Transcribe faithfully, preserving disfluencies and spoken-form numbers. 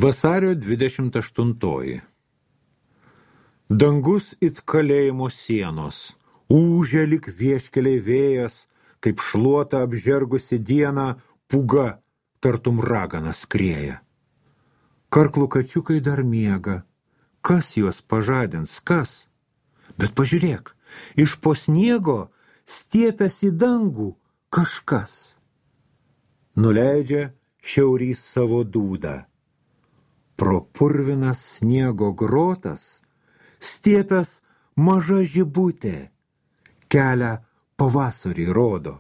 Vasario dvidešimt aštuntoji. Dangus it kalėjimo sienos, ūžia lyg vieškeliai vėjas, kaip šluota apžergusi dieną, pūga tartum ragana skrieja. Karklų kačiukai dar miega, kas juos pažadins, kas? Bet pažiūrėk, iš po sniego stiepęs į dangų kažkas. Nuleidžia šiaurys savo dūdą. Pro purvinas sniego grotas stiepęs maža žibutė, kelią pavasarį rodo.